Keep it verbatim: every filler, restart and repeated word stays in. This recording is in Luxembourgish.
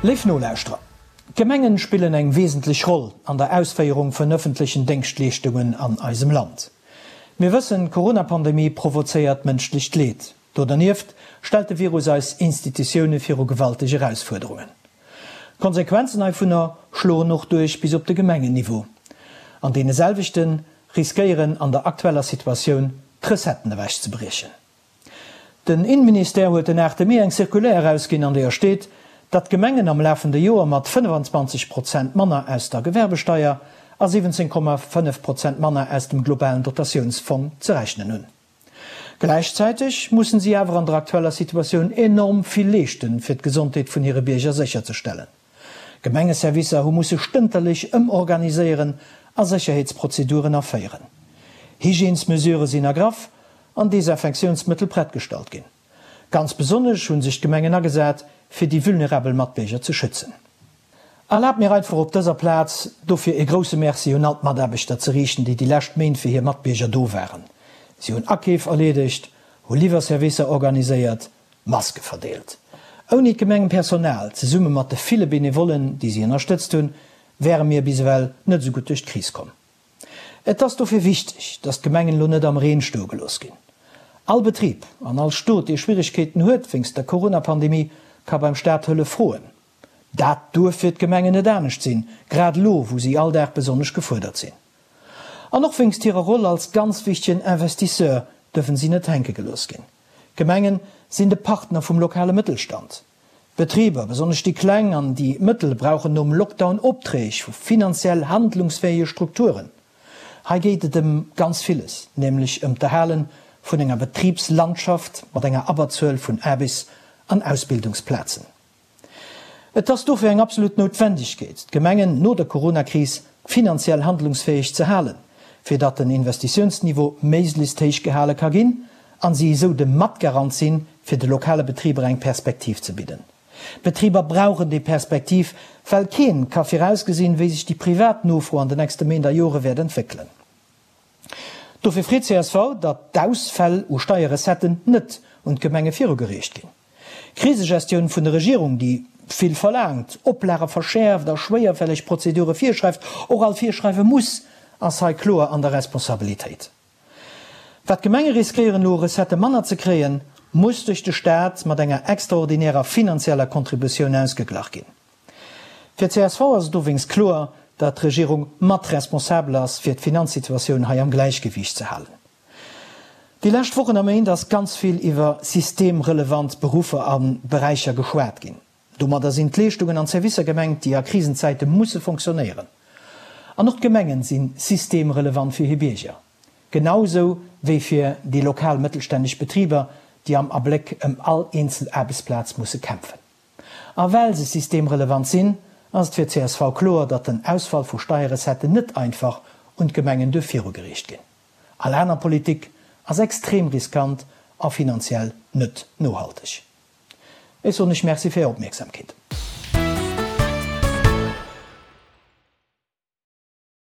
Léif Nolauschterer, d'Gemengen spillen eng wesentlech Roll an der Ausféierung vun ëffentlechen Déngschtleeschtungen an eisem Land. Mir wëssen, d'Corona-Pandemie provozéiert mënschlecht Leed. Do dernieft stellt de Virus eis Institutioune viru gewalteg Erausfuerderungen. D'Konsequenzen heivunner schloen och duerch bis op de Gemengenniveau. An deene selwechte riskéieren an der aktueller Situatioun d'Recetten ewechzebriechen. Den Innenministère huet den aachte Mee eng Circulaire erausginn, an deeër steet, datt d'Gemengen am lafende Joer mat fënnefenzwanzeg Prozent manner aus der Gewerbesteier a siwwenzéng Komma fënnef Prozent manner aus dem globalen Dotatiounsfong ze rechnen hunn. Gläichzäiteg mussen si awer an der aktueller Situatioun enorm vill leeschten, fir d'Gesondheet vun hire Bierger sécherzestellen. Gemengeservicer hu musse stënterlech ëmorganiséieren a Sécherheetsprozeduren aféieren. Hygiènesmesurë sinn ergraff an Desinfektiounsmëttel prett gestallt ginn. Ganz besonnesch hu sech d'Gemengen agesat, fir déi vulnerabel Matbierger ze schützen. Erlaabt mir einfach op dëser Plaz dofir e grousse Merci un all d'Mataarbechter ze riichten, déi déi lescht Méint fir hir Matbierger do waren. Si hunn Akeef erleedegt, hu Liwwerservicer organiséiert, Maske verdeelt. Ouni d'Gemengepersonal, zesumme mat de ville Benevollen, déi si ënnerstëtzt hunn, wäre mir bis ewell net esou gutt duerch d'Kris komm. Et ass dofir wichteg, datt d'Gemengen elo net am Reen stoe gelooss ginn. All Betrib an all Stot, dee Schwieregkeeten huet wéinst der Coronapandemie, ka beim Staat Hëllef froen. Dat duerf fir d'Gemengen net anescht sinn, grad elo, wou si all Dag besonnesch gefuerdert sinn. An och wéinst hirer Roll als ganz wichtegen Investisseur dürfen si net hänke gelooss ginn. D'Gemengen sinn de Partner vum lokale Mëttelstand. D'Betriber, besonnesch déi kleng an déi mëttel, brauchen nom Lockdown Opträg vu finanziell handlungsfähige Strukturen. Hei geet et ëm ganz villes, nämlech ëm d'Erhale vun enger Betribslandschaft mat enger Abberzuel vun Aarbechts an Ausbildungsplazen. Et ass dofir eng absolut Noutwendegkeet, d'Gemengen no der Coronakris finanziell handlungsfäeg ze halen, fir datt den Investitiounsniveau méiglechst héich gehale ka ginn an si esou de Matgarant sinn, fir de lokale Betriber eng Perspektiv ze bidden. D'Betriber brauchen déi Perspektiv, well keen ka virausgesinn, wéi sech déi privat Nofro an den nächste Méint a Jore wäert entwéckelen. Dofir freet csv, datt d'Ausfäll u Steierrecetten net un d'Gemenge virugereecht ginn. D'Krisegestioun vun der Regierung, déi vill verlaangt, Oplage verschäerft a schwéierfälleg Prozedure virschreift, och alt virschreiwe muss, ass hei kloer an der Responsabilitéit. Wat d'Gemenge riskéieren elo u Recettë manner ze kréien, muss duerch de Staat mat enger extraordinärer finanzieller Contributioun ausgeglach ginn. Fir csv ass et dowéinst kloer, datt d'Regierung mat responsabel ass, fir d'Finanzsituatioun hei am Gläichgewiicht ze halen. Déi lescht Wochen a Méint ass ganz vill iwwer systemrelevant Beruffer a Beräicher geschwat ginn. Domadder sinn d'Leeschtungen an d'Servicer gemengt, déi a Krisenzäite musse fonctionnéieren. An och d'Gemengen si systemrelevant fir hir Bierger, genau sou wéi fir déi lokal mëttelstänneg Betriber, déi am Abléck ëm all eenzel Aarbechtsplaz musse kämpfen. A well se systemrelevant sinn, ass et fir csv kloer, datt den Ausfall vu Steierrecetten net einfach un d'Gemengen duerf virugereecht ginn. All aner Politik ass extrem riskant a finanziell net nohalteg. Ech soen Iech Merci fir Är Opmierksamkeet.